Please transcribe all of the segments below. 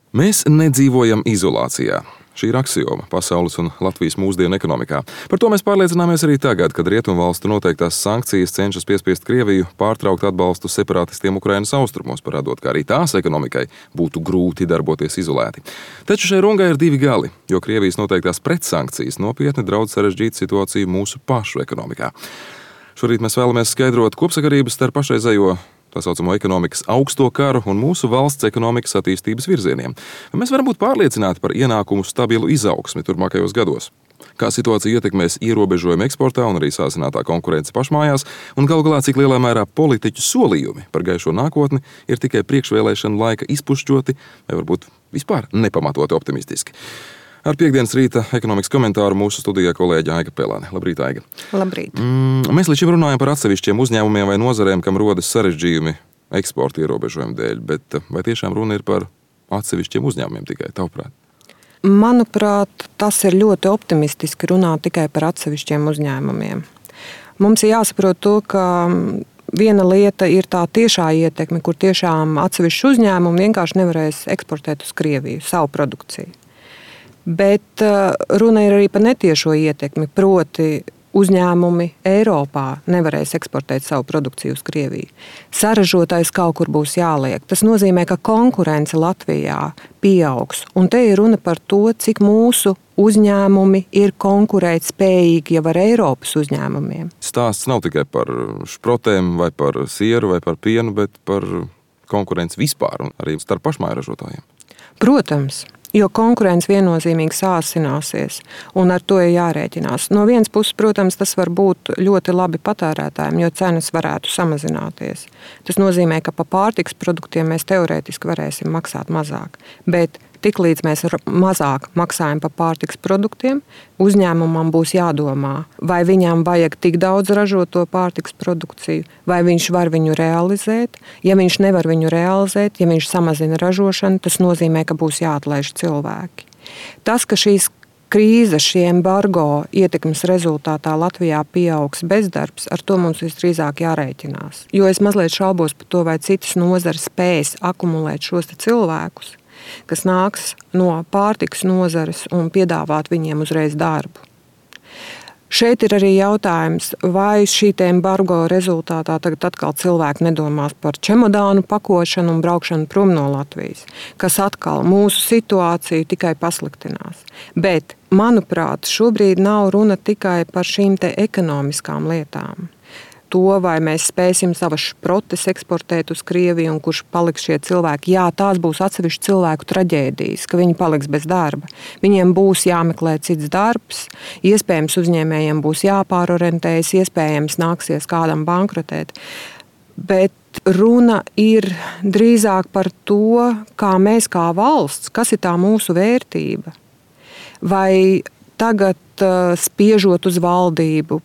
Mēs nedzīvojam izolācijā. Šī ir aksioma pasaules un Latvijas mūsdienu ekonomikā. Par to mēs pārliecināmies arī tagad, kad rietumvalstu noteiktās sankcijas cenšas piespiest Krieviju pārtraukt atbalstu separatistiem Ukrainas austrumos, parādot, ka arī tās ekonomikai būtu grūti darboties izolēti. Taču šai rungai ir divi gali, jo Krievijas noteiktās pretsankcijas nopietni draudz sarežģīt situāciju mūsu pašu ekonomikā. Šorīt mēs vēlamies skaidrot kopsakarības starp pašreizējo tā saucamo ekonomikas augsto karu un mūsu valsts ekonomikas attīstības virzieniem. Mēs varam būt pārliecināti par ienākumu stabilu izaugsmi turpmākajos gados. Kā situācija ietekmēs ierobežojumi eksportā un arī sāsinātā konkurence pašmājās, un galu galā cik lielā mērā politiķu solījumi par gaišo nākotni ir tikai priekšvēlēšana laika izpušķoti vai varbūt vispār nepamatoti optimistiski. Ar piekdienas rīta ekonomikas komentāru mūsu studijā kolēģe Aiga Pelāne. Labrīt, Aiga. Labrīt. Mēs līdz šim runājam par atsevišķiem uzņēmumiem vai nozarēm, kam rodas sarežģījumi eksporta ierobežojumu dēļ, bet vai tiešām runa ir par atsevišķiem uzņēmumiem tikai, tavuprāt? Manuprāt, tas ir ļoti optimistiski runāt tikai par atsevišķiem uzņēmumiem. Mums ir jāsaprot to, ka viena lieta ir tā tiešā ietekme, kur tiešām atsevišķi uzņēmumi vienkārši nevarēs eksportēt uz Krieviju savu produkciju. Bet runa ir arī par netiešo ietekmi, proti uzņēmumi Eiropā nevarēs eksportēt savu produkciju uz Krieviju. Saražotājs kaut kur būs jāliek. Tas nozīmē, ka konkurence Latvijā pieaugs. Un te ir runa par to, cik mūsu uzņēmumi ir konkurētspējīgi jau ar Eiropas uzņēmumiem. Stāsts nav tikai par šprotēm vai par sieru vai par pienu, bet par konkurenci vispār un arī starp pašmāju ražotājiem. Protams. Jo konkurence viennozīmīgi sāsināsies, un ar to ir jārēķinās. No vienas puses, protams, tas var būt ļoti labi patērētājiem, jo cenas varētu samazināties. Tas nozīmē, ka pa pārtikas produktiem mēs teorētiski varēsim maksāt mazāk. Bet tiklīdz mēs mazāk maksājam par pārtikas produktiem, uzņēmumam būs jādomā, vai viņam vajag tik daudz ražot to pārtikas produkciju, vai viņš var viņu realizēt. Ja viņš nevar viņu realizēt, ja viņš samazina ražošanu, tas nozīmē, ka būs jāatlaiž cilvēki. Tas, ka šīs krīze, šī embargo ietekmes rezultātā Latvijā pieaugs bezdarbs, ar to mums visdrīzāk jārēķinās. Jo es mazliet šaubos par to, vai citas nozares spēs akumulēt šos cilvēkus, kas nāks no pārtikas nozares un piedāvāt viņiem uzreiz darbu. Šeit ir arī jautājums, vai šī embargo rezultātā tagad atkal cilvēki nedomās par čemodānu pakošanu un braukšanu prom no Latvijas, kas atkal mūsu situāciju tikai pasliktinās. Bet, manuprāt, šobrīd nav runa tikai par šīm ekonomiskām lietām. To, vai mēs spēsim savas šprotes eksportēt uz Krieviju un kurš paliks šie cilvēki. Jā, tās būs atsevišķi cilvēku traģēdijas, ka viņi paliks bez darba. Viņiem būs jāmeklē cits darbs, iespējams uzņēmējiem būs jāpārorientējas, iespējams nāksies kādam bankrotēt. Bet runa ir drīzāk par to, kā mēs kā valsts, kas ir tā mūsu vērtība. Vai tagad spiežot uz valdību,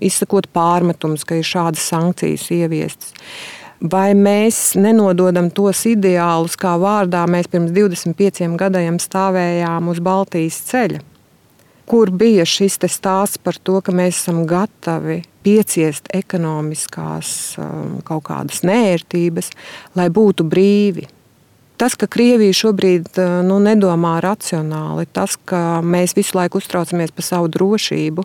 izsakot pārmetumus, ka ir šādas sankcijas ieviestas. Vai mēs nenododam tos ideālus, kā vārdā mēs pirms 25 gadiem stāvējām uz Baltijas ceļa, kur bija šis stāsts par to, ka mēs esam gatavi pieciest ekonomiskās kaut kādas neērtības, lai būtu brīvi. Tas, ka Krievija šobrīd nedomā racionāli, tas, ka mēs visu laiku uztraucamies par savu drošību,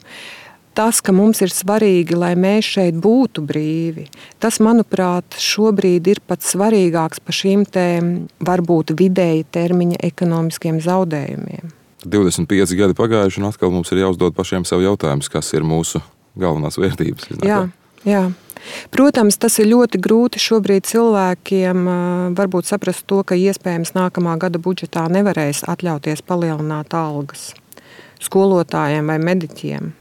tas, ka mums ir svarīgi, lai mēs šeit būtu brīvi, tas, manuprāt, šobrīd ir pats svarīgāks par šīm varbūt vidēja termiņa ekonomiskiem zaudējumiem. 25 gadi pagājuši, un atkal mums ir jāuzdod pašiem sev jautājums, kas ir mūsu galvenās vērtības. Jā. Protams, tas ir ļoti grūti šobrīd cilvēkiem varbūt saprast to, ka iespējams nākamā gada budžetā nevarēs atļauties palielināt algas skolotājiem vai mediķiem.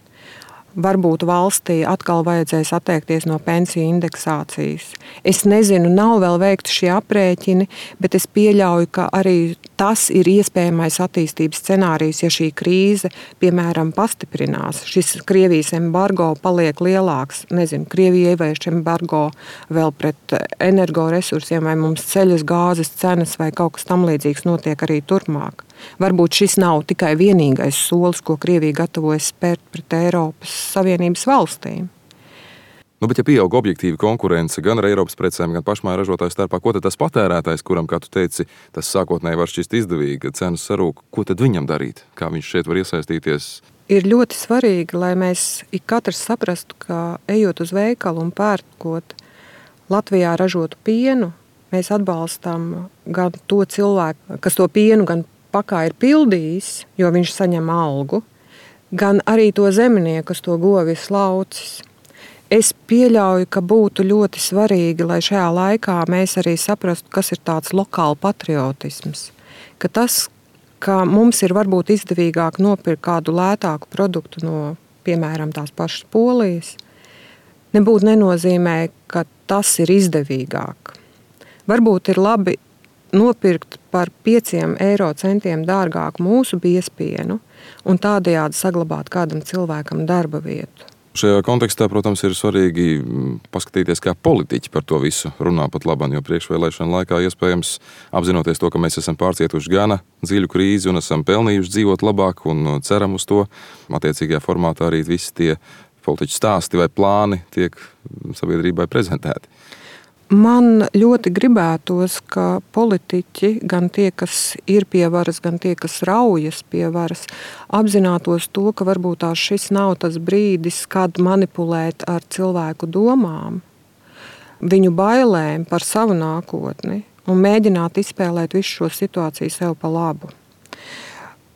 Varbūt valstī atkal vajadzēs atteikties no pensiju indeksācijas. Es nezinu, nav vēl veikti šie aprēķini, bet es pieļauju, ka arī tas ir iespējamais attīstības scenārijs, ja šī krīze, piemēram, pastiprinās. Šis Krievijas embargo paliek lielāks. Nezinu, Krievija ievieš embargo vēl pret energoresursiem, vai mums ceļas gāzes cenas vai kaut kas tam līdzīgs notiek arī turpmāk. Varbūt šis nav tikai vienīgais solis, ko Krievija gatavojas spērt pret Eiropas Savienības valstīm. Bet ja pieaug objektīva konkurence gan ar Eiropas precēm, gan pašmāju ražotāju starpā, ko tad tas patērētājs, kuram, kā tu teici, tas sākotnēji var šķist izdevīgi, kad cenas sarūk, ko tad viņam darīt? Kā viņš šeit var iesaistīties? Ir ļoti svarīgi, lai mēs ik katrs saprastu, ka ejot uz veikalu un pērkot Latvijā ražotu pienu, mēs atbalstam gan to cilvēku, kas to pienu gan pakā ir pildījis, jo viņš saņem algu, gan arī to zemnieku, kas to govi ir slaucis. Es pieļauju, ka būtu ļoti svarīgi, lai šajā laikā mēs arī saprastu, kas ir tāds lokāla patriotisms. Ka tas, ka mums ir varbūt izdevīgāk nopirkt kādu lētāku produktu no, piemēram, tās pašas Polijas, nebūtu nenozīmē, ka tas ir izdevīgāk. Varbūt ir labi nopirkt par 5 eiro centiem dārgāku mūsu biezpienu un tādējādi saglabāt kādam cilvēkam darba vietu. Šajā kontekstā, protams, ir svarīgi paskatīties, kā politiķi par to visu runā pat labam, jo priekšvēlēšana laikā iespējams apzinoties to, ka mēs esam pārcietuši gana dziļu krīzi un esam pelnījuši dzīvot labāk un ceram uz to. Attiecīgajā formātā arī visi tie politiķu stāsti vai plāni tiek sabiedrībai prezentēti. Man ļoti gribētos, ka politiķi, gan tie, kas ir pie varas, gan tie, kas raujas pie varas, apzinātos to, ka varbūt šis nav tas brīdis, kad manipulēt ar cilvēku domām, viņu bailēm par savu nākotni un mēģināt izspēlēt visu šo situāciju sev pa labu.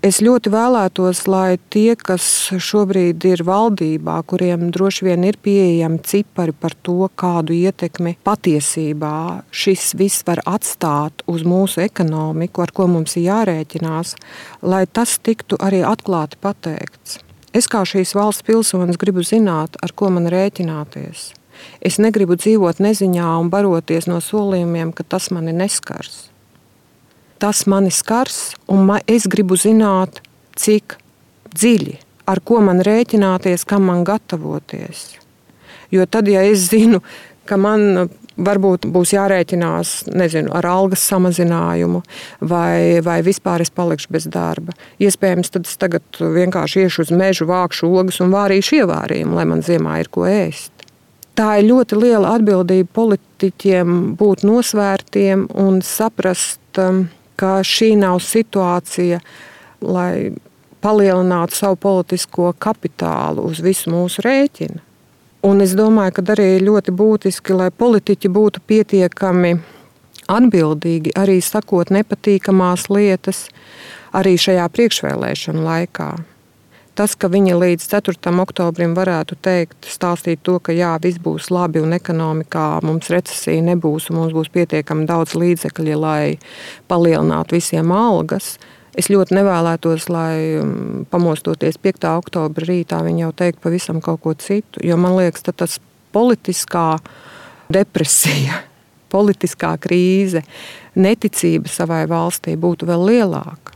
Es ļoti vēlētos, lai tie, kas šobrīd ir valdībā, kuriem droši vien ir pieejami cipari par to, kādu ietekmi patiesībā šis viss var atstāt uz mūsu ekonomiku, ar ko mums ir jārēķinās, lai tas tiktu arī atklāti pateikts. Es kā šīs valsts pilsonis gribu zināt, ar ko man rēķināties. Es negribu dzīvot neziņā un baroties no solījumiem, ka tas mani neskars. Tas mani skars, un es gribu zināt, cik dziļi, ar ko man rēķināties, kam man gatavoties. Jo tad, ja es zinu, ka man varbūt būs jārēķinās, ar algas samazinājumu, vai vispār es palikšu bez darba, iespējams, tad es tagad vienkārši iešu uz mežu, vākšu ogas un vārīšu ievārījumu, lai man ziemā ir ko ēst. Tā ir ļoti liela atbildība politiķiem būt nosvērtiem un saprast, ka šī nav situācija, lai palielinātu savu politisko kapitālu uz visu mūsu rēķinu. Un es domāju, ka arī ļoti būtiski, lai politiķi būtu pietiekami atbildīgi, arī sakot nepatīkamās lietas, arī šajā priekšvēlēšanu laikā. Tas, ka viņi līdz 4. oktobrim varētu teikt, stāstīt to, ka jā, viss būs labi un ekonomikā mums recesija nebūs un mums būs pietiekami daudz līdzekļi, lai palielinātu visiem algas. Es ļoti nevēlētos, lai pamostoties 5. oktobra rītā viņi jau teikt pavisam kaut ko citu, jo man liekas, tas politiskā depresija, politiskā krīze, neticība savai valstī būtu vēl lielāka.